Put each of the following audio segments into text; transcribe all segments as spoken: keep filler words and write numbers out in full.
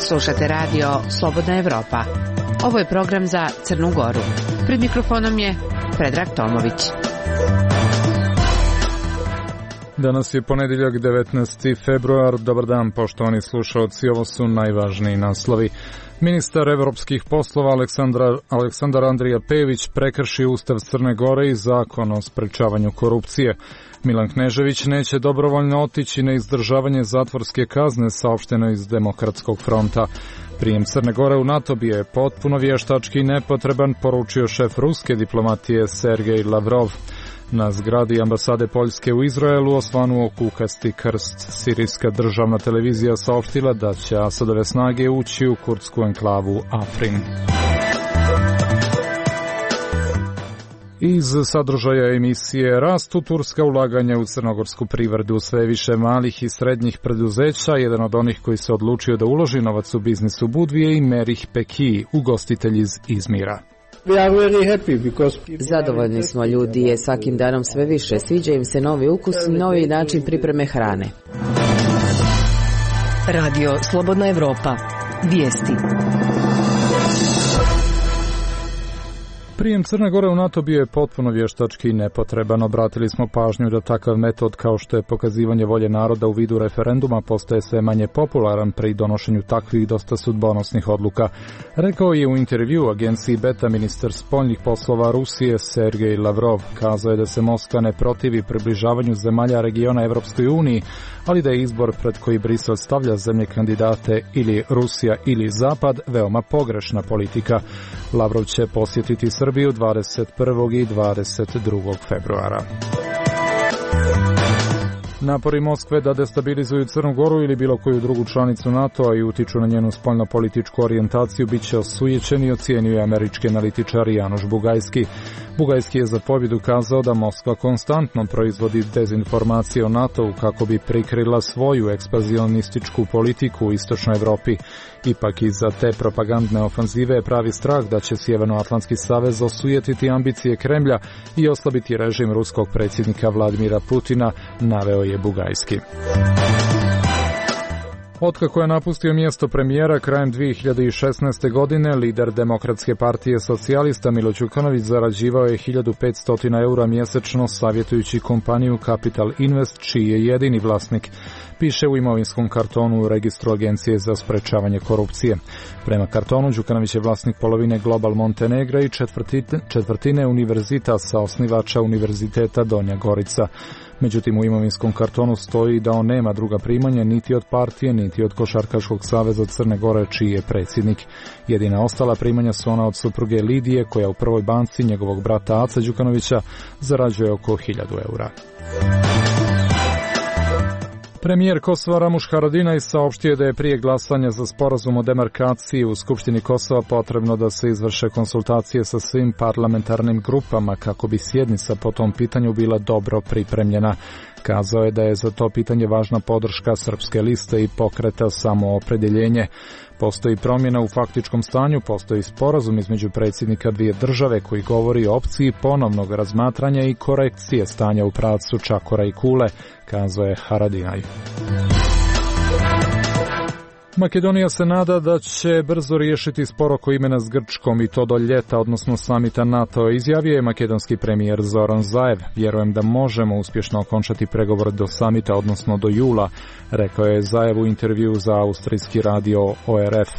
Slušate radio Slobodna Evropa. Ovo je program za Crnu Goru. Pred mikrofonom je Predrag Tomović. Danas je ponedjeljak devetnaesti februar. Dobar dan, poštovani slušalci. Ovo su najvažniji naslovi. Ministar evropskih poslova Aleksandar, Aleksandar Andrija Pejević prekrši Ustav Crne Gore i zakon o sprečavanju korupcije. Milan Knežević neće dobrovoljno otići na izdržavanje zatvorske kazne, saopšteno iz Demokratskog fronta. Prijem Crne Gore u NATO bi je potpuno vještački i nepotreban, poručio šef ruske diplomatije Sergej Lavrov. Na zgradi ambasade Poljske u Izraelu osvanuo kukasti krst. Sirijska državna televizija saopštila da će Asadove snage ući u kurdsku enklavu Afrin. Iz sadržaja emisije rastu turska ulaganja u crnogorsku privredu. Sve više malih i srednjih preduzeća, jedan od onih koji se odlučio da uloži novac u biznis u Budvije i Merih Peki, ugostitelj iz Izmira. Zadovoljni smo, ljudi je svakim danom sve više. Sviđa im se novi ukus i novi način pripreme hrane. Radio Slobodna Evropa. Vijesti. Prijem Crne Gore u NATO bio je potpuno vještački i nepotreban. Obratili smo pažnju da takav metod kao što je pokazivanje volje naroda u vidu referenduma postaje sve manje popularan pri donošenju takvih dosta sudbonosnih odluka. Rekao je u intervju agenciji Beta ministar spoljnih poslova Rusije Sergej Lavrov. Kazao je da se Moskva ne protivi približavanju zemalja regiona Evropskoj uniji, ali da je izbor pred koji Brisel stavlja zemlje kandidate ili Rusija ili Zapad veoma pogrešna politika. Lavrov će posjetiti Srbiju dvadeset prvog i dvadeset drugog februara. Napori Moskve da destabilizuju Crnu Goru ili bilo koju drugu članicu NATO-a i utiču na njenu spoljno-političku orijentaciju bit će osujećen i ocijenio je američki analitičar Januš Bugajski. Bugajski je za pobjedu kazao da Moskva konstantno proizvodi dezinformacije o NATO-u kako bi prikrila svoju ekspanzionističku politiku u istočnoj Evropi. Ipak iza te propagandne ofanzive je pravi strah da će Sjevernoatlantski savez osujetiti ambicije Kremlja i oslabiti režim ruskog predsjednika Vladimira Putina, naveo je Bugajski. Otkako je napustio mjesto premijera krajem dvije hiljade šesnaeste. godine, lider Demokratske partije socijalista Milo Đukanović zarađivao je hiljadu petsto eura mjesečno savjetujući kompaniju Capital Invest, čiji je jedini vlasnik, piše u imovinskom kartonu u registru Agencije za sprečavanje korupcije. Prema kartonu, Đukanović je vlasnik polovine Global Montenegra i četvrtine, četvrtine univerzitasa, osnivača Univerziteta Donja Gorica. Međutim, u imovinskom kartonu stoji da on nema druga primanja niti od partije, niti od Košarkaškog saveza Crne Gore, čiji je predsjednik. Jedina ostala primanja su ona od supruge Lidije, koja u prvoj banci njegovog brata Ace Đukanovića zarađuje oko hiljadu eura. Premijer Kosova Ramuš Haradinaj saopštio da je prije glasanja za sporazum o demarkaciji u Skupštini Kosova potrebno da se izvrše konsultacije sa svim parlamentarnim grupama kako bi sjednica po tom pitanju bila dobro pripremljena. Kazao je da je za to pitanje važna podrška Srpske liste i pokreta Samoopredjeljenje. Postoji promjena u faktičkom stanju, postoji sporazum između predsjednika dvije države koji govori o opciji ponovnog razmatranja i korekcije stanja u pravcu Čakora i Kule, kazao je Haradinaj. Makedonija se nada da će brzo riješiti spor oko imena s Grčkom i to do ljeta, odnosno samita NATO, izjavio je makedonski premijer Zoran Zaev. Vjerujem da možemo uspješno okončati pregovor do samita, odnosno do jula, rekao je Zaev u intervju za austrijski radio O R F.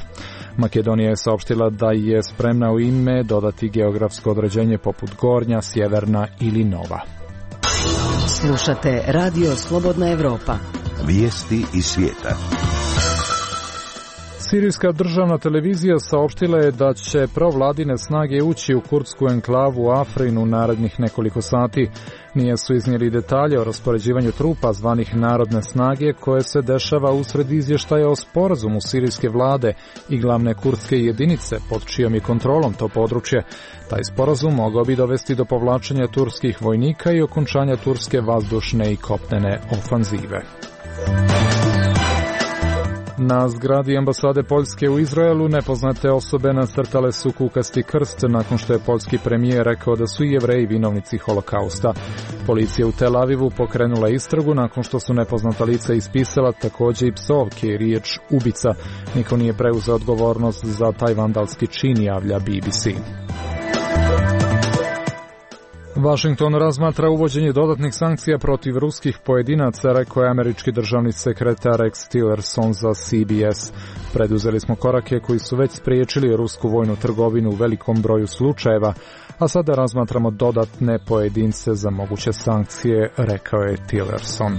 Makedonija je saopštila da je spremna u ime dodati geografsko određenje poput Gornja, Sjeverna ili Nova. Slušate Radio Slobodna Evropa. Vijesti iz svijeta. Sirijska državna televizija saopštila je da će provladine snage ući u kurdsku enklavu Afrin u narednih nekoliko sati. Nije su iznijeli detalje o raspoređivanju trupa zvanih narodne snage koje se dešava usred izvještaja o sporazumu sirijske vlade i glavne kurdske jedinice pod čijom je kontrolom to područje. Taj sporazum mogao bi dovesti do povlačenja turskih vojnika i okončanja turske vazdušne i kopnene ofanzive. Na zgradi ambasade Poljske u Izraelu nepoznate osobe nacrtale su kukasti krst nakon što je poljski premijer rekao da su i Jevreji vinovnici holokausta. Policija u Tel Avivu pokrenula istragu nakon što su nepoznata lica ispisala također i psovke i riječ ubica. Niko nije preuzeo odgovornost za taj vandalski čin, javlja B B C. Washington razmatra uvođenje dodatnih sankcija protiv ruskih pojedinaca, rekao je američki državni sekretar Rex Tillerson za C B S. Preduzeli smo korake koji su već spriječili rusku vojnu trgovinu u velikom broju slučajeva, a sada razmatramo dodatne pojedince za moguće sankcije, rekao je Tillerson.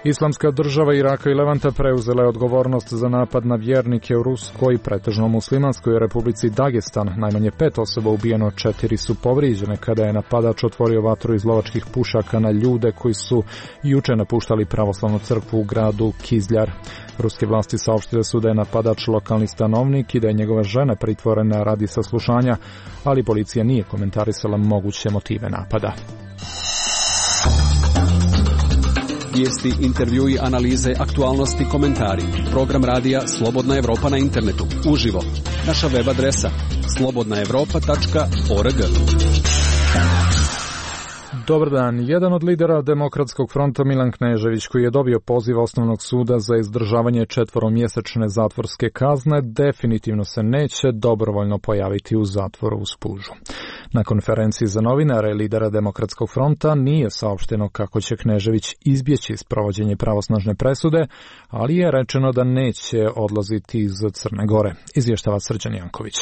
Islamska država Iraka i Levanta preuzela je odgovornost za napad na vjernike u ruskoj, pretežno muslimanskoj republici Dagestan. Najmanje pet osoba ubijeno, četiri su povrijeđene kada je napadač otvorio vatru iz lovačkih pušaka na ljude koji su juče napuštali pravoslavnu crkvu u gradu Kizljar. Ruske vlasti saopštile su da je napadač lokalni stanovnik i da je njegova žena pritvorena radi saslušanja, ali policija nije komentarisala moguće motive napada. Vijesti, intervjui, analize, aktualnosti, komentari. Program radija Slobodna Evropa na internetu. Uživo. Naša web adresa slobodna evropa tačka org. Dobar dan. Jedan od lidera Demokratskog fronta, Milan Knežević, koji je dobio poziv Osnovnog suda za izdržavanje četveromjesečne zatvorske kazne, definitivno se neće dobrovoljno pojaviti u zatvoru u Spužu. Na konferenciji za novinare lidera Demokratskog fronta nije saopšteno kako će Knežević izbjeći sprovođenje pravosnažne presude, ali je rečeno da neće odlaziti iz Crne Gore. Izvještava Srđan Janković.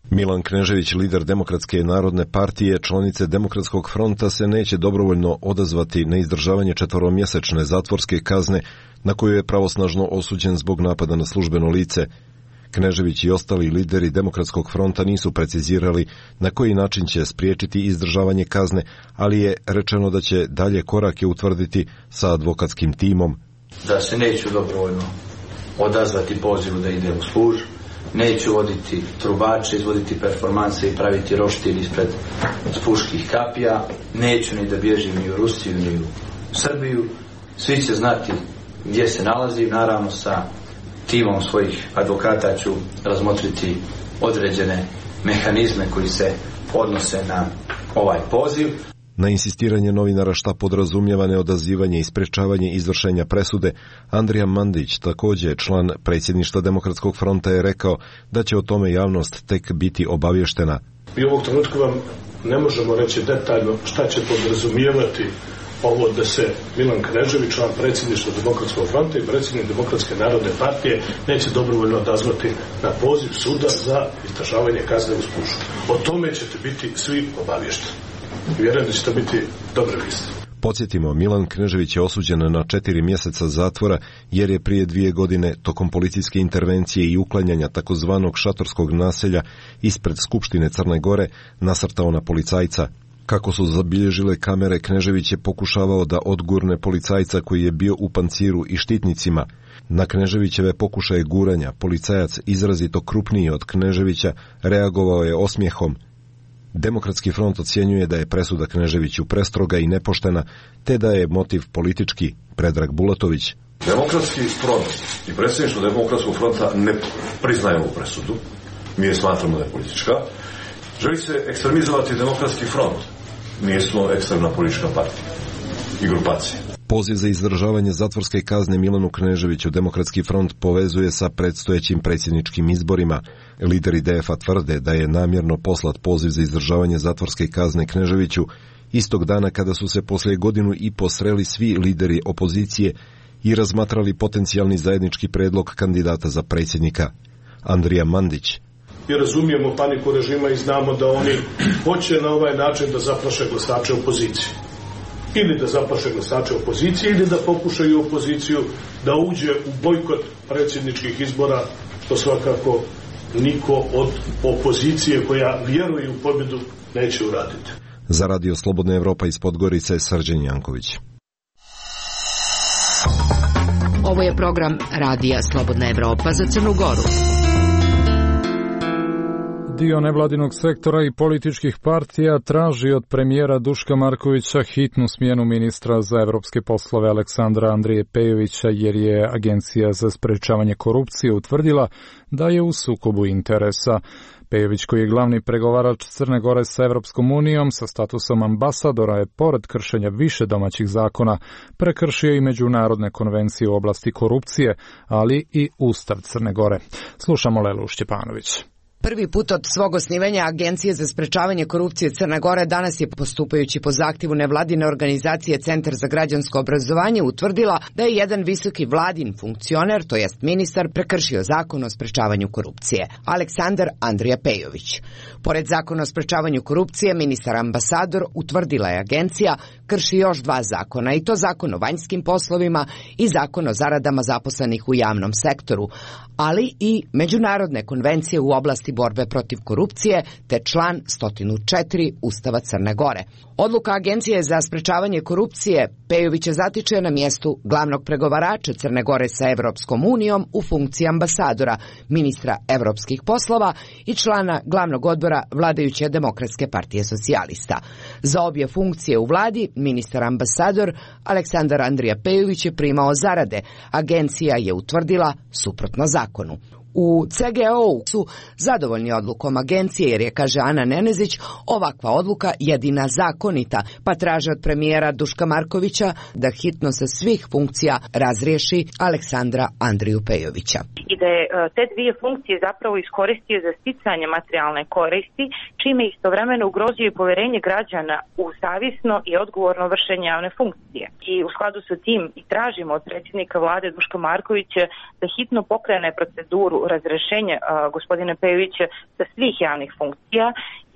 Milan Knežević, lider Demokratske narodne partije, članice Demokratskog fronta, se neće dobrovoljno odazvati na izdržavanje četveromjesečne zatvorske kazne na koju je pravosnažno osuđen zbog napada na službeno lice. Knežević i ostali lideri Demokratskog fronta nisu precizirali na koji način će spriječiti izdržavanje kazne, ali je rečeno da će dalje korake utvrditi sa advokatskim timom. Da se neću dobrovoljno odazvati pozivu da ide u Spuž, neću voditi trubače, izvoditi performanse i praviti roštilj ispred spuških kapija, neću ni da bježim ni u Rusiju ni u Srbiju, svi će znati gdje se nalazim, naravno sa timom svojih advokata ću razmotriti određene mehanizme koji se odnose na ovaj poziv. Na insistiranje novinara šta podrazumijeva neodazivanje i sprečavanje izvršenja presude, Andrija Mandić, također član predsjedništva Demokratskog fronta, je rekao da će o tome javnost tek biti obavještena. Mi u ovog trenutku vam ne možemo reći detaljno šta će podrazumijevati ovo da se Milan Knežević, član predsjedništva Demokratskog fronta i predsjednik Demokratske narodne partije, neće dobrovoljno odazvati na poziv suda za izdržavanje kazne u Spužu. O tome ćete biti svi obavješteni. Vjerujem da će to biti dobre vijesti. Podsjetimo, Milan Knežević je osuđen na četiri mjeseca zatvora jer je prije dvije godine tokom policijske intervencije i uklanjanja takozvanog šatorskog naselja ispred Skupštine Crne Gore nasrtao na policajca. Kako su zabilježile kamere, Knežević je pokušavao da odgurne policajca koji je bio u panciru i štitnicima. Na Kneževićeve pokušaje guranja policajac, izrazito krupniji od Kneževića, reagovao je osmijehom. Demokratski front ocjenjuje da je presuda Kneževiću prestroga i nepoštena, te da je motiv politički. Predrag Bulatović. Demokratski front i predsjedništvo Demokratskog fronta ne priznaje ovu presudu. Mi je smatramo da je politička. Želi se ekstremizovati Demokratski front. Mi smo ekstremna politička partija i grupacija. Poziv za izdržavanje zatvorske kazne Milanu Kneževiću Demokratski front povezuje sa predstojećim predsjedničkim izborima. Lideri D F-a tvrde da je namjerno poslat poziv za izdržavanje zatvorske kazne Kneževiću istog dana kada su se poslije godinu i po sreli svi lideri opozicije i razmatrali potencijalni zajednički predlog kandidata za predsjednika. Andrija Mandić. Mi razumijemo paniku režima i znamo da oni hoće na ovaj način da zaplaše glasače opozicije. Ili da zaplaše glasače opozicije, ili da pokušaju opoziciju da uđe u bojkot predsjedničkih izbora, to svakako niko od opozicije koja vjeruje u pobjedu neće uraditi. Za Radio Slobodna Evropa iz Podgorice, Srđan Janković. Ovo je program Radija Slobodna Evropa za Crnu Goru. dio nevladinog sektora i političkih partija traži od premijera Duška Markovića hitnu smjenu ministra za evropske poslove Aleksandra Andrije Pejovića jer je Agencija za sprečavanje korupcije utvrdila da je u sukobu interesa. Pejović, koji je glavni pregovarač Crne Gore sa Evropskom unijom sa statusom ambasadora, je pored kršenja više domaćih zakona prekršio i međunarodne konvencije u oblasti korupcije, ali i Ustav Crne Gore. Slušamo Lelu Šćepanović. Prvi put od svog osnivanja Agencije za sprečavanje korupcije Crne Gore danas je, postupajući po zahtjevu nevladine organizacije Centar za građansko obrazovanje, utvrdila da je jedan visoki vladin funkcioner, to jest ministar, prekršio zakon o sprečavanju korupcije. Aleksandar Andrija Pejović. Pored zakona o sprečavanju korupcije, ministar ambasador, utvrdila je agencija, krši još dva zakona, i to zakon o vanjskim poslovima i zakon o zaradama zaposlenih u javnom sektoru, ali i međunarodne konvencije u oblasti borbe protiv korupcije, te član sto četiri Ustava Crne Gore. Odluka Agencije za sprečavanje korupcije Pejovića zatiče na mjestu glavnog pregovarača Crne Gore sa Evropskom unijom u funkciji ambasadora, ministra evropskih poslova i člana glavnog odbora vladajuće Demokratske partije socijalista. Za obje funkcije u vladi ministar ambasador Aleksandar Andrija Pejović je primao zarade. Agencija je utvrdila suprotno zakonu. U C G O-u su zadovoljni odlukom agencije jer je, kaže Ana Nenezić, ovakva odluka jedina zakonita, pa traže od premijera Duška Markovića da hitno sa svih funkcija razriješi Aleksandra Andriju Pejovića. I da je te dvije funkcije zapravo iskoristio za sticanje materijalne koristi, čime istovremeno ugrozio i povjerenje građana u savjesno i odgovorno vršenje javne funkcije. I u skladu sa tim i tražimo od predsjednika vlade Duška Markovića da hitno pokrene proceduru razrješenja uh, gospodina Pejovića sa svih javnih funkcija,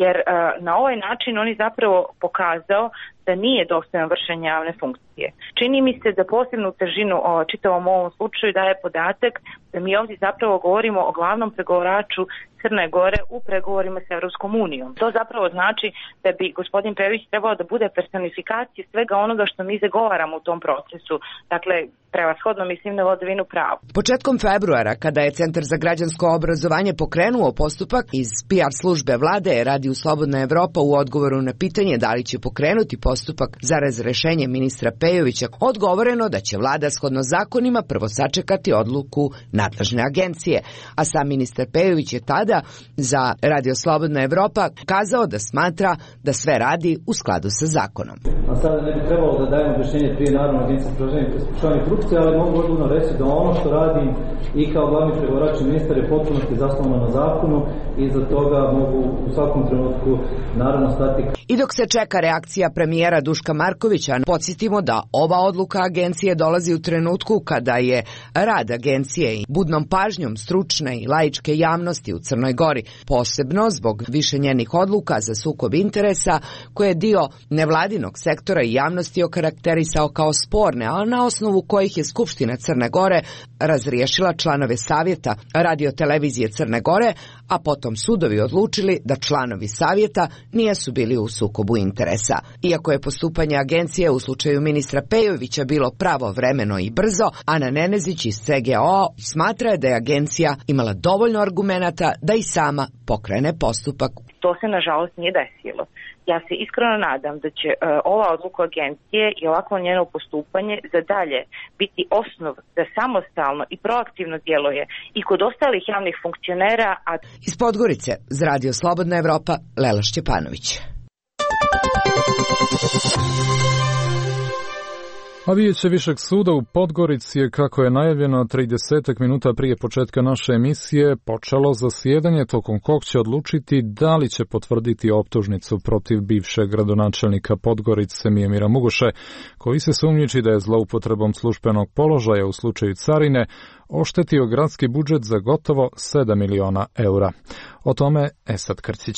jer uh, na ovaj način on je zapravo pokazao da nije dostojan vršenja javne funkcije. Čini mi se da posebnu težinu o čitavom ovom slučaju daje podatak da mi ovdje zapravo govorimo o glavnom pregovaraču Crne Gore u pregovorima s Evropskom unijom. To zapravo znači da bi gospodin Pejović trebao da bude personifikacija svega onoga što mi zagovaramo u tom procesu. Dakle, prevashodno mislim na vladavinu prava. Početkom februara, kada je Centar za građansko obrazovanje pokrenuo postupak, iz P R službe vlade je Radio Slobodna Evropa u odgovoru na pitanje da li će pokrenuti postupak za razrešenje ministra Pejovića odgovoreno da će vlada shodno zakonima prvo sačekati odluku nadležne agencije, a sam ministar Pejović je tada za Radio Slobodna Evropa kazao da smatra da sve radi u skladu sa zakonom. A sada ne bi trebalo da dajemo objašnjenje prije Narodne agencije za sprečavanje korupcije, ali mogu odgovorno reći da ono što radim i kao glavni pregovarač i ministar je potpunosti zasnovano na zakonu i za toga mogu u svakom trenutku naravno stati. I dok se čeka reakcija premijera Duška Markovića, podsjetimo da ova odluka agencije dolazi u trenutku kada je rad agencije i budnom pažnjom stručne i laičke javnosti u Crnoj Gori, posebno zbog više njenih odluka za sukob interesa koje je dio nevladinog sektora i javnosti okarakterisao kao sporne, a na osnovu kojih je Skupština Crne Gore razriješila članove savjeta Radio-televizije Crne Gore, a potom sudovi odlučili da članovi savjeta nisu bili u sukobu interesa. Iako je postupanje agencije u slučaju ministra Pejovića bilo pravovremeno i brzo, Ana Nenezić iz C G O smatra da je agencija imala dovoljno argumenata da i sama pokrene postupak. To se nažalost nije desilo. Ja se iskreno nadam da će uh, ova odluka agencije i ovakvo njeno postupanje za dalje biti osnov da samostalno i proaktivno djeluje i kod ostalih javnih funkcionera. A... Iz Podgorice, za Radio Slobodna Evropa, Lela Šćepanović. A Vijeće Višeg suda u Podgorici je, kako je najavljeno trideset minuta prije početka naše emisije, počelo zasjedanje tokom kog će odlučiti da li će potvrditi optužnicu protiv bivšeg gradonačelnika Podgorice Mijomira Mugoše, koji se sumnjiči da je zloupotrebom službenog položaja u slučaju carine oštetio gradski budžet za gotovo sedam miliona eura. O tome Esad Krcić.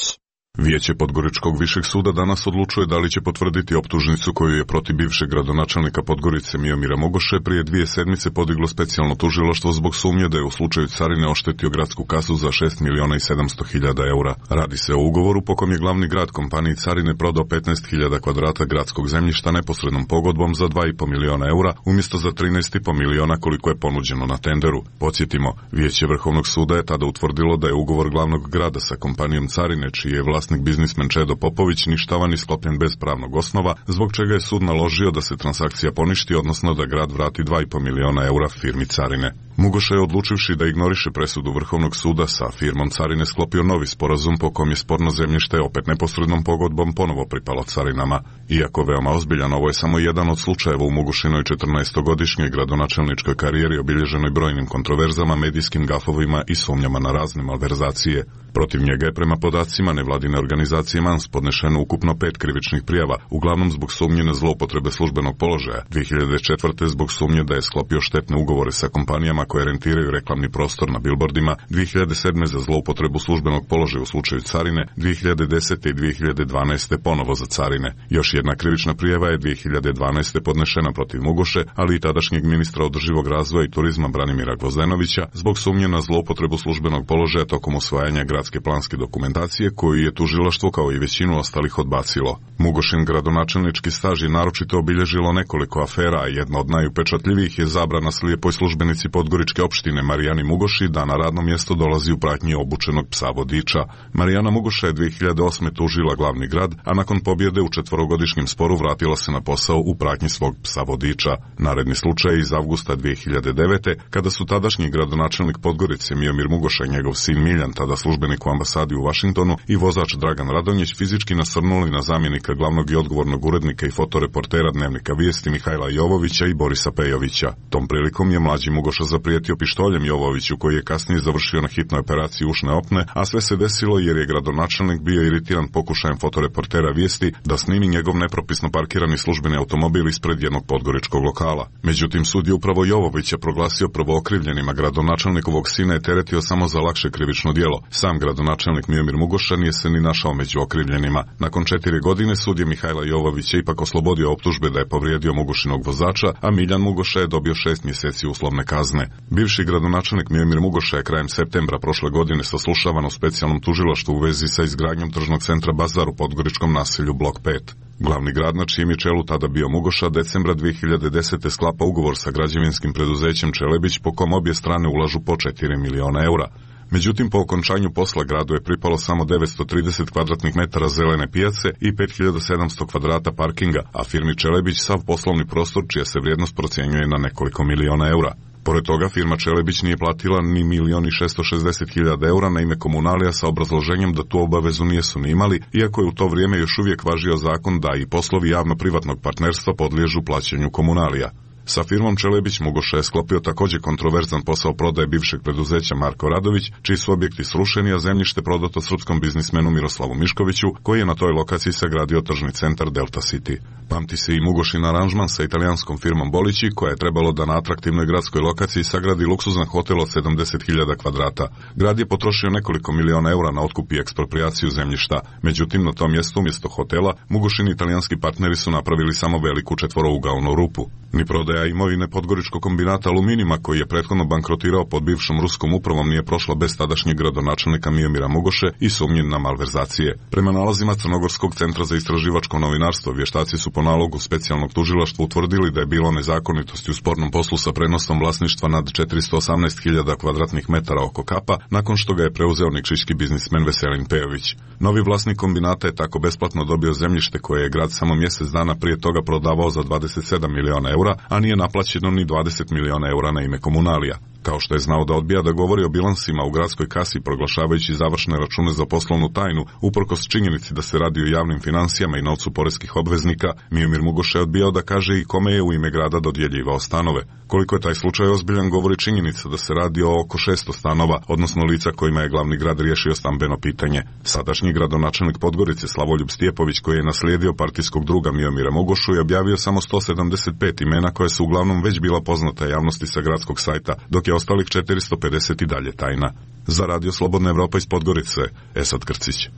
Vijeće Podgoričkog višeg suda danas odlučuje da li će potvrditi optužnicu koju je protiv bivšeg gradonačelnika Podgorice Miomira Mogoše prije dvije sedmice podiglo specijalno tužilaštvo zbog sumnje da je u slučaju carine oštetio gradsku kasu za šest miliona i sedamsto hiljada eura. Radi se o ugovoru po kom je glavni grad kompaniji carine prodao petnaest hiljada kvadrata gradskog zemljišta neposrednom pogodbom za dva i po miliona eura umjesto za trinaest i po miliona koliko je ponuđeno na tenderu. Podsjetimo, Vijeće Vrhovnog suda je tada utvrdilo da je ugovor glavnog grada sa kompanijom carine, čiji je vlasnik biznismen Čedo Popović, ništavan i sklopljen bez pravnog osnova, zbog čega je sud naložio da se transakcija poništi, odnosno da grad vrati dva i po miliona eura firmi carine. Mugoša je, odlučivši da ignoriše presudu Vrhovnog suda, sa firmom carine sklopio novi sporazum po kom je sporno zemljište opet neposrednom pogodbom ponovo pripalo carinama. Iako veoma ozbiljan, ovo je samo jedan od slučajeva u Mugošinoj četrnaestogodišnjoj gradonačelničkoj karijeri obilježenoj brojnim kontroverzama, medijskim gafovima i sumnjama na razne malverzacije. Protiv njega je prema podacima nevladine organizacije Mans podnešeno ukupno pet krivičnih prijava, uglavnom zbog sumnje na zloupotrebe službenog položaja, dvije hiljade četvrte zbog sumnje da je sklopio štetne ugovore sa kompanijama koje rentiraju reklamni prostor na bilbordima, dvije hiljade sedme za zloupotrebu službenog položaja u slučaju carine, dvije hiljade desete i dvije hiljade dvanaeste ponovo za carine. Još jedna krivična prijava je dvije hiljade dvanaeste podnešena protiv Mugoše, ali i tadašnjeg ministra održivog razvoja i turizma Branimira Gvozdenovića zbog sumnje na zloupotrebu službenog položaja tokom usvajanja gradske planske dokumentacije, koju je tužilaštvo kao i većinu ostalih odbacilo. Mugošin gradonačelnički staž je naročito obilježilo nekoliko afera, a jedna od najupečatljivijih je zabrana slijepoj službenici Podgoričke opštine Marijani Mugoši da na radno mjesto dolazi u pratnji obučenog psa vodiča. Marijana Mugoša je dvije hiljade osme tužila glavni grad, a nakon pobjede u četvorogodišnjem sporu vratila se na posao u pratnji svog psa vodiča. Naredni slučaj je iz avgusta dvije hiljade devete, kada su tadašnji gradonačelnik Podgorice Miomir Mugoša i njegov sin Miljan, tada službenik u ambasadi u Vašingtonu, i vozač Dragan Radonjić fizički nasrnuli na zamjenika glavnog i odgovornog urednika i fotoreportera Dnevnika Vijesti Mihajla Jovovića i Borisa Pejovića. Tom prilikom je mlađi Mugoša zaprijetio pištoljem Jovoviću, koji je kasnije završio na hitnoj operaciji ušne opne, a sve se desilo jer je gradonačelnik bio iritiran pokušajem fotoreportera Vijesti da snimi njegov nepropisno parkirani službeni automobil ispred jednog podgoričkog lokala. Međutim, sud je upravo Jovovića proglasio prvookrivljenima, gradonačelnikovog sina je teretio samo za lakše krivično djelo. Sam gradonačelnik Miomir Mugoša nije se ni našao među okrivljenima. Nakon četiri godine sud je Mihajla Jovovića ipak oslobodio optužbe da je povrijedio Mugošinog vozača, a Miljan Mugoša je dobio šest mjeseci uslovne kazne. Bivši gradonačelnik Miomir Mugoša je krajem septembra prošle godine saslušavan u specijalnom tužilaštvu u vezi sa izgradnjom tržnog centra Bazar u podgoričkom naselju Blok pet. Glavni grad, na čijem je čelu tada bio Mugoša, decembra dvije hiljade desete sklapa ugovor sa građevinskim preduzećem Čelebić, po kom obje strane ulažu po četiri miliona eura. Međutim, po okončanju posla gradu je pripalo samo devetsto trideset kvadratnih metara zelene pijace i pet hiljada sedamsto kvadrata parkinga, a firmi Čelebić sav poslovni prostor, čija se vrijednost procjenjuje na nekoliko miliona eura. Pored toga, firma Čelebić nije platila ni milion i šesto šezdeset hiljada eura na ime komunalija sa obrazloženjem da tu obavezu nijesu ni imali, iako je u to vrijeme još uvijek važio zakon da i poslovi javno-privatnog partnerstva podliježu plaćanju komunalija. Sa firmom Čelebić Mugoša je sklopio također kontroverzan posao prodaje bivšeg preduzeća Marko Radović, čiji su objekti srušeni, a zemljište prodato srpskom biznismenu Miroslavu Miškoviću, koji je na toj lokaciji sagradio tržni centar Delta City. Pamti se i Mugošin aranžman sa italijanskom firmom Bolići, koja je trebalo da na atraktivnoj gradskoj lokaciji sagradi luksuzan hotel od sedamdeset hiljada kvadrata. Grad je potrošio nekoliko miliona eura na otkup i eksproprijaciju zemljišta. Međutim, na tom mjestu umjesto hotela, Mugošin i italijanski partneri su napravili samo veliku četvorougaonu rupu. Ni prodaja imovine Podgoričkog kombinata Aluminima, koji je prethodno bankrotirao pod bivšom ruskom upravom, nije prošla bez tadašnjeg gradonačelnika Miomira Mugoše i sumnje na malverzacije. Prema nalazima Crnogorskog centra za istraživačko novinarstvo, vještaci su po nalogu specijalnog tužilaštva utvrdili da je bilo nezakonitosti u spornom poslu sa prenosom vlasništva nad četiristo osamnaest hiljada kvadratnih metara oko Kapa, nakon što ga je preuzeo nikšićki biznismen Veselin Pejović. Novi vlasnik kombinata je tako besplatno dobio zemljište koje je grad samo mjesec dana prije toga prodavao za dvadeset sedam miliona eura, a nije naplaćeno ni dvadeset miliona eura na ime komunalija. Kao što je znao da odbija da govori o bilansima u gradskoj kasi, proglašavajući završne račune za poslovnu tajnu, uprkos činjenici da se radi o javnim financijama i novcu poreskih obveznika, Miomir Mugoša je odbijao da kaže i kome je u ime grada dodjeljivao stanove. Koliko je taj slučaj ozbiljan govori činjenica da se radi o oko šesto stanova, odnosno lica kojima je glavni grad riješio stambeno pitanje. Sadašnji gradonačelnik Podgorice Slavoljub Stjepović, koji je naslijedio partijskog druga Miomira Mugošu, je objavio samo sto sedamdeset pet imena koja su uglavnom već bila poznata javnosti sa gradskog sajta, dok je ostalih četiristo pedeset i dalje tajna. Za radio Slobodna Evropa iz Podgorice, Esad Krcić.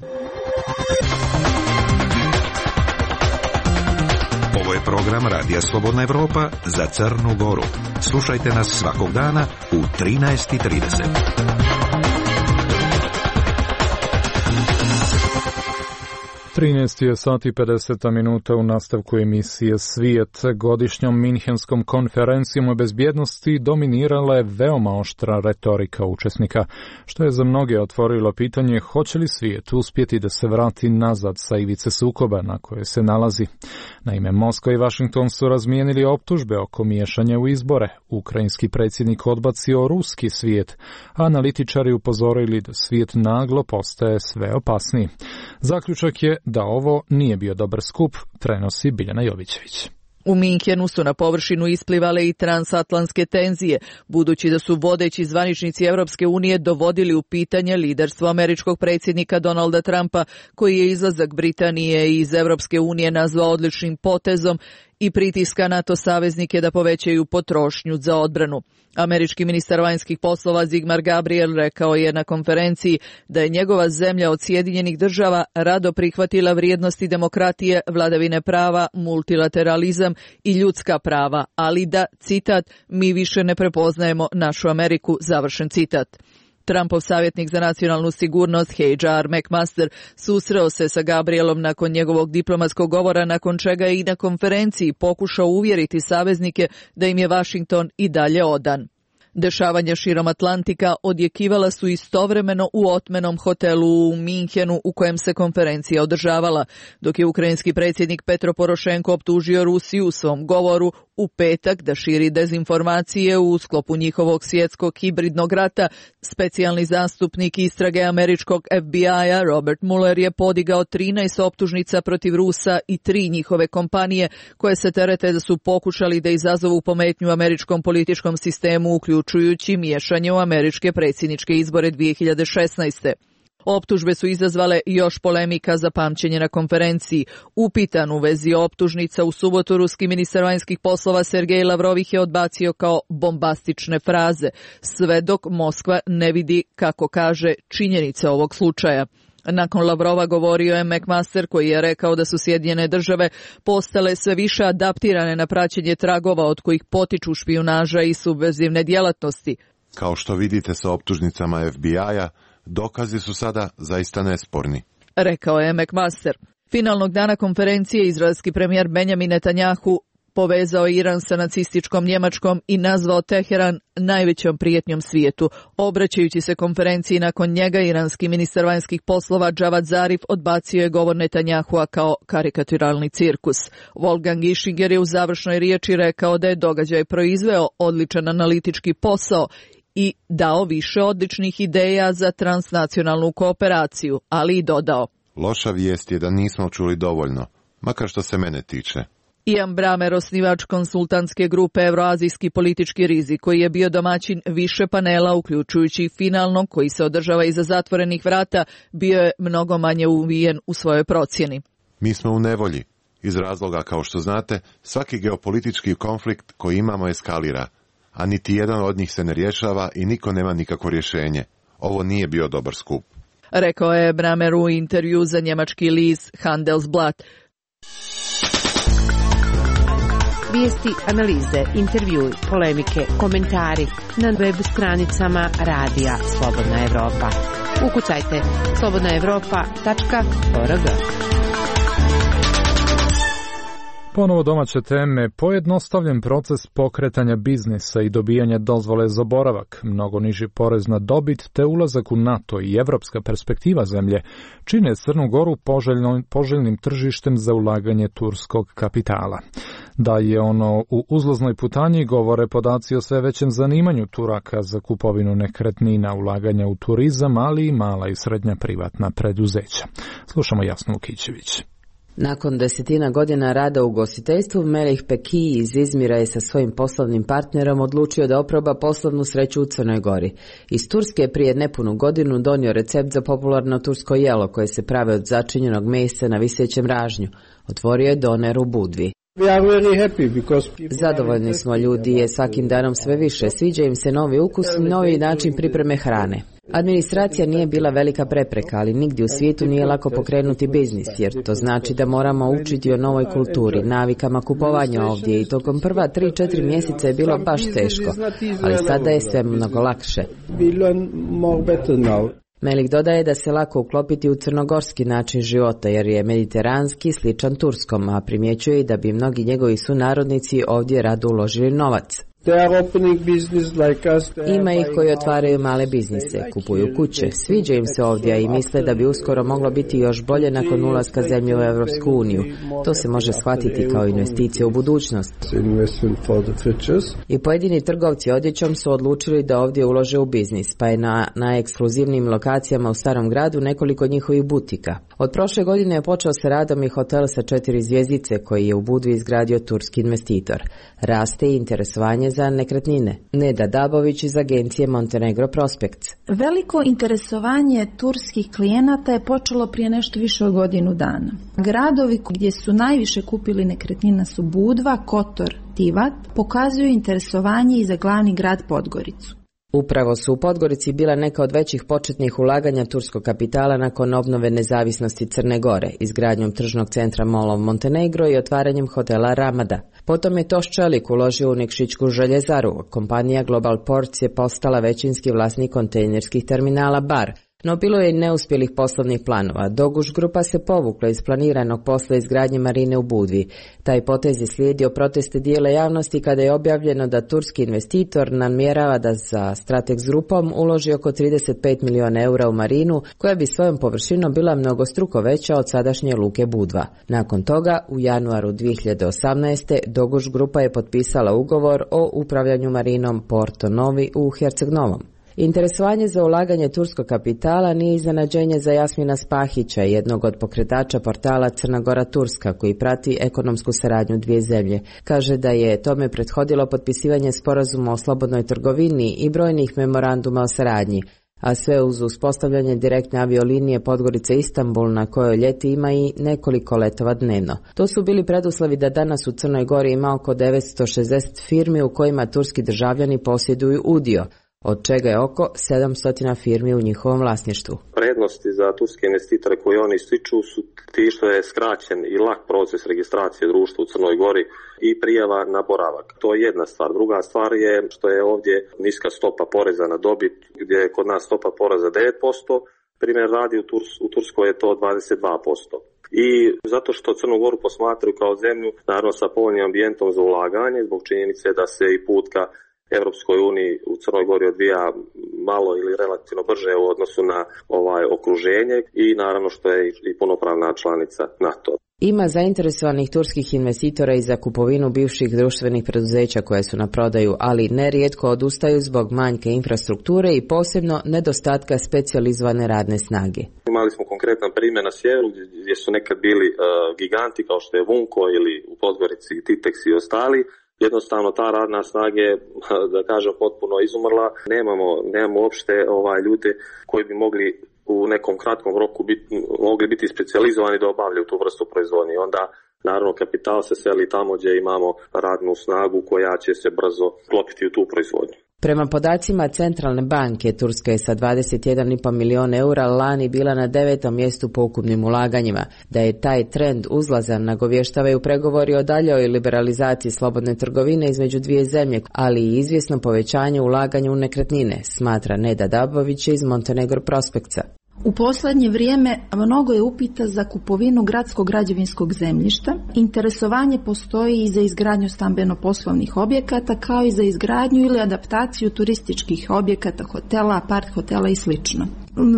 Ovo je program Radija Slobodna Evropa za Crnu Goru. Slušajte nas svakog dana u trinaest i trideset. trinaest je sat i pedeset minuta u nastavku emisije Svijet. Godišnjom Minhenskom konferencijom o bezbjednosti dominirala je veoma oštra retorika učesnika, što je za mnoge otvorilo pitanje hoće li svijet uspjeti da se vrati nazad sa ivice sukoba na koje se nalazi. Naime, Moskva i Vašington su razmijenili optužbe oko miješanja u izbore. Ukrajinski predsjednik odbacio ruski svijet, a analitičari upozorili da svijet naglo postaje sve opasniji. Zaključak je da ovo nije bio dobar skup, prenosi Biljana Jovićević. U Minhenu su na površinu isplivale i transatlantske tenzije, budući da su vodeći zvaničnici Europske unije dovodili u pitanje liderstvo američkog predsjednika Donalda Trumpa, koji je izlazak Britanije iz Europske unije nazvao odličnim potezom i pritiska NATO saveznike da povećaju potrošnju za odbranu. Američki ministar vanjskih poslova Zigmar Gabriel rekao je na konferenciji da je njegova zemlja od Sjedinjenih država rado prihvatila vrijednosti demokratije, vladavine prava, multilateralizam i ljudska prava, ali da, citat, mi više ne prepoznajemo našu Ameriku, završen citat. Trumpov savjetnik za nacionalnu sigurnost H R McMaster susreo se sa Gabrielom nakon njegovog diplomatskog govora, nakon čega je i na konferenciji pokušao uvjeriti saveznike da im je Washington i dalje odan. Dešavanja širom Atlantika odjekivala su istovremeno u otmenom hotelu u Minhenu u kojem se konferencija održavala, dok je ukrajinski predsjednik Petro Porošenko optužio Rusiju u svom govoru u petak da širi dezinformacije u sklopu njihovog svjetskog hibridnog rata. Specijalni zastupnik istrage američkog F B I-a Robert Mueller je podigao trinaest optužnica protiv Rusa i tri njihove kompanije koje se terete da su pokušali da izazovu pometnju američkom političkom sistemu, uključujući miješanje u američke predsjedničke izbore dvije hiljade šesnaeste. Optužbe su izazvale još polemika za pamćenje na konferenciji. Upitan u vezi optužnica u subotu, ruski ministar vanjskih poslova Sergej Lavrov ih je odbacio kao bombastične fraze, sve dok Moskva ne vidi, kako kaže, činjenice ovog slučaja. Nakon Lavrova govorio je McMaster, koji je rekao da su Sjedinjene države postale sve više adaptirane na praćenje tragova od kojih potiču špijunaža i subverzivne djelatnosti. Kao što vidite sa optužnicama F B I-a, dokazi su sada zaista nesporni, rekao je McMaster. Finalnog dana konferencije izraelski premijer Benjamin Netanjahu povezao Iran sa nacističkom Njemačkom i nazvao Teheran najvećom prijetnjom svijetu. Obraćajući se konferenciji nakon njega, iranski ministar vanjskih poslova Javad Zarif odbacio je govor Netanjahua kao karikaturalni cirkus. Wolfgang Ischinger je u završnoj riječi rekao da je događaj proizveo odličan analitički posao i dao više odličnih ideja za transnacionalnu kooperaciju, ali i dodao: loša vijest je da nismo čuli dovoljno, makar što se mene tiče. Ian Bramer, osnivač konsultantske grupe Euroazijski politički rizik, koji je bio domaćin više panela, uključujući i finalnog koji se održava iza zatvorenih vrata, bio je mnogo manje uvijen u svojoj procjeni. Mi smo u nevolji. Iz razloga, kao što znate, svaki geopolitički konflikt koji imamo eskalira, a niti jedan od njih se ne rješava i niko nema nikakvo rješenje. Ovo nije bio dobar skup, rekao je Bramer u intervju za njemački list Handelsblatt. Vijesti, analize, intervjui, polemike, komentari na web stranicama Radija Slobodna Evropa. Ukucajte slobodna evropa tačka org. Ponovo domaće teme, pojednostavljen proces pokretanja biznisa i dobijanja dozvole za boravak, mnogo niži porez na dobit te ulazak u NATO i evropska perspektiva zemlje čine Crnu Goru poželjno, poželjnim tržištem za ulaganje turskog kapitala. Da je ono u uzlaznoj putanji govore podaci o sve većem zanimanju Turaka za kupovinu nekretnina, ulaganja u turizam, ali i mala i srednja privatna preduzeća. Slušamo Jasnu Lukićević. Nakon desetina godina rada u ugostiteljstvu, Melih Peki iz Izmira je sa svojim poslovnim partnerom odlučio da oproba poslovnu sreću u Crnoj Gori. Iz Turske je prije nepunu godinu donio recept za popularno tursko jelo koje se prave od začinjenog mesa na visećem ražnju. Otvorio je doner u Budvi. Zadovoljni smo, ljudi je svakim danom sve više, sviđa im se novi ukus i novi način pripreme hrane. Administracija nije bila velika prepreka, ali nigdje u svijetu nije lako pokrenuti biznis, jer to znači da moramo učiti o novoj kulturi, navikama kupovanja ovdje i tokom prva tri četiri mjeseca je bilo baš teško, ali sada je sve mnogo lakše. Melik dodaje da se lako uklopiti u crnogorski način života jer je mediteranski sličan turskom, a primjećuje i da bi mnogi njegovi sunarodnici ovdje rado uložili novac. Ima ih koji otvaraju male biznise, kupuju kuće, sviđa im se ovdje i misle da bi uskoro moglo biti još bolje nakon ulaska zemlje u Europsku uniju. To se može shvatiti kao investicija u budućnost. I pojedini trgovci odjećom su odlučili da ovdje ulože u biznis, pa je na najekskluzivnijim lokacijama u starom gradu nekoliko njihovih butika. Od prošle godine je počeo sa radom i hotel sa četiri zvjezdice koji je u Budvi izgradio turski investitor. Raste i interesovanje za nekretnine. Neda Dabović iz agencije Montenegro Prospects. Veliko interesovanje turskih klijenata je počelo prije nešto više od godinu dana. Gradovi gdje su najviše kupili nekretnina su Budva, Kotor, Tivat, pokazuju interesovanje i za glavni grad Podgoricu. Upravo su u Podgorici bila neka od većih početnih ulaganja turskog kapitala nakon obnove nezavisnosti Crne Gore, izgradnjom tržnog centra Mall of Montenegro i otvaranjem hotela Ramada. Potom je Toš Čelik uložio u Nikšićku željezaru. Kompanija Global Ports je postala većinski vlasnik kontejnerskih terminala Bar. No bilo je i neuspjelih poslovnih planova. Doguš grupa se povukla iz planiranog posla izgradnje marine u Budvi. Taj potez je slijedio proteste dijela javnosti kada je objavljeno da turski investitor namjerava da za Stratex grupom uloži oko trideset pet milijuna eura u marinu, koja bi svojom površinom bila mnogostruko veća od sadašnje luke Budva. Nakon toga, u januaru dvije hiljade osamnaeste. Doguš grupa je potpisala ugovor o upravljanju marinom Porto Novi u Herceg Novom. Interesovanje za ulaganje turskog kapitala nije iznenađenje za Jasmina Spahića, jednog od pokretača portala Crna Gora Turska, koji prati ekonomsku saradnju dvije zemlje. Kaže da je tome prethodilo potpisivanje sporazuma o slobodnoj trgovini i brojnih memoranduma o saradnji, a sve uz uspostavljanje direktne aviolinije Podgorica-Istanbul, na kojoj ljeti ima i nekoliko letova dnevno. To su bili preduslovi da danas u Crnoj Gori ima oko devetsto šezdeset firmi u kojima turski državljani posjeduju udio, od čega je oko sedamsto firmi u njihovom vlasništvu. Prednosti za turske investitore koje oni ističu su ti što je skraćen i lak proces registracije društva u Crnoj Gori i prijava na boravak. To je jedna stvar. Druga stvar je što je ovdje niska stopa poreza na dobit, gdje je kod nas stopa poreza devet posto, primjer radi u, Turs, u Turskoj je to dvadeset dva posto. I zato što Crnu Goru posmatraju kao zemlju, naravno sa povoljnim ambijentom za ulaganje, zbog činjenice da se i put ka Europskoj uniji u Crnoj Gori odvija malo ili relativno brže u odnosu na ovaj okruženje i naravno što je i punopravna članica NATO. Ima zainteresovanih turskih investitora i za kupovinu bivših društvenih preduzeća koje su na prodaju, ali nerijetko odustaju zbog manjke infrastrukture i posebno nedostatka specijalizovane radne snage. Imali smo konkretan primjer na sjeveru gdje su nekad bili uh, giganti kao što je Vunko ili u Podgorici Titex i ostali. Jednostavno ta radna snaga je, da kažem, potpuno izumrla. Nemamo, nemamo uopšte ovaj, ljude koji bi mogli u nekom kratkom roku biti, mogli biti specijalizovani da obavljaju tu vrstu proizvodnje. Onda naravno kapital se seli tamo gdje imamo radnu snagu koja će se brzo klopiti u tu proizvodnju. Prema podacima Centralne banke, Turska je sa dvadeset jedan i pol milijuna eura lani bila na devetom mjestu po ukupnim ulaganjima. Da je taj trend uzlazan nagovještavaju pregovori o daljoj liberalizaciji slobodne trgovine između dvije zemlje, ali i izvjesno povećanje ulaganja u nekretnine, smatra Neda Dabović iz Montenegro Prospectsa. U posljednje vrijeme mnogo je upita za kupovinu gradskog građevinskog zemljišta. Interesovanje postoji i za izgradnju stambeno-poslovnih objekata, kao i za izgradnju ili adaptaciju turističkih objekata, hotela, apart hotela i sl.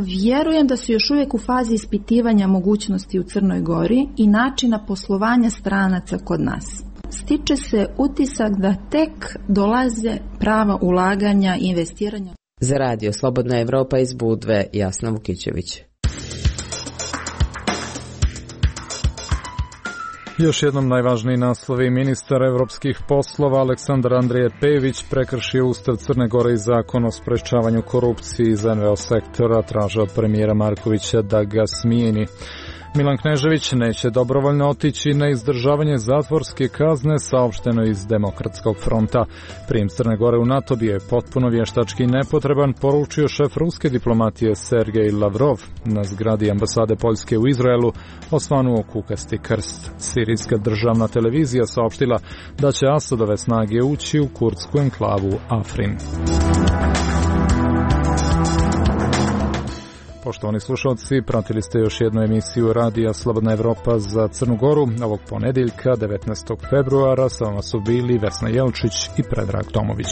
Vjerujem da su još uvijek u fazi ispitivanja mogućnosti u Crnoj Gori i načina poslovanja stranaca kod nas. Stiče se utisak da tek dolaze prava ulaganja i investiranja. Za radio Slobodna Evropa iz Budve, Jasna Vukićević. Još jednom najvažniji naslovi. Ministar evropskih poslova Aleksandar Andrije Pejević prekršio Ustav Crne Gore i zakon o sprečavanju korupcije iz N V O sektora, traže od premijera Markovića da ga smijeni. Milan Knežević neće dobrovoljno otići na izdržavanje zatvorske kazne, saopšteno iz Demokratskog fronta. Prijem Crne Gore u NATO bio je potpuno vještački nepotreban, poručio šef ruske diplomatije Sergej Lavrov na zgradi ambasade Poljske u Izraelu, osvanuo kukasti krst. Sirijska državna televizija saopštila da će Asadove snage ući u kurdsku enklavu Afrin. Poštovani slušalci, pratili ste još jednu emisiju Radija Slobodna Evropa za Crnu Goru ovog ponedjeljka devetnaestog februara. Sa vama su bili Vesna Jelčić i Predrag Tomović.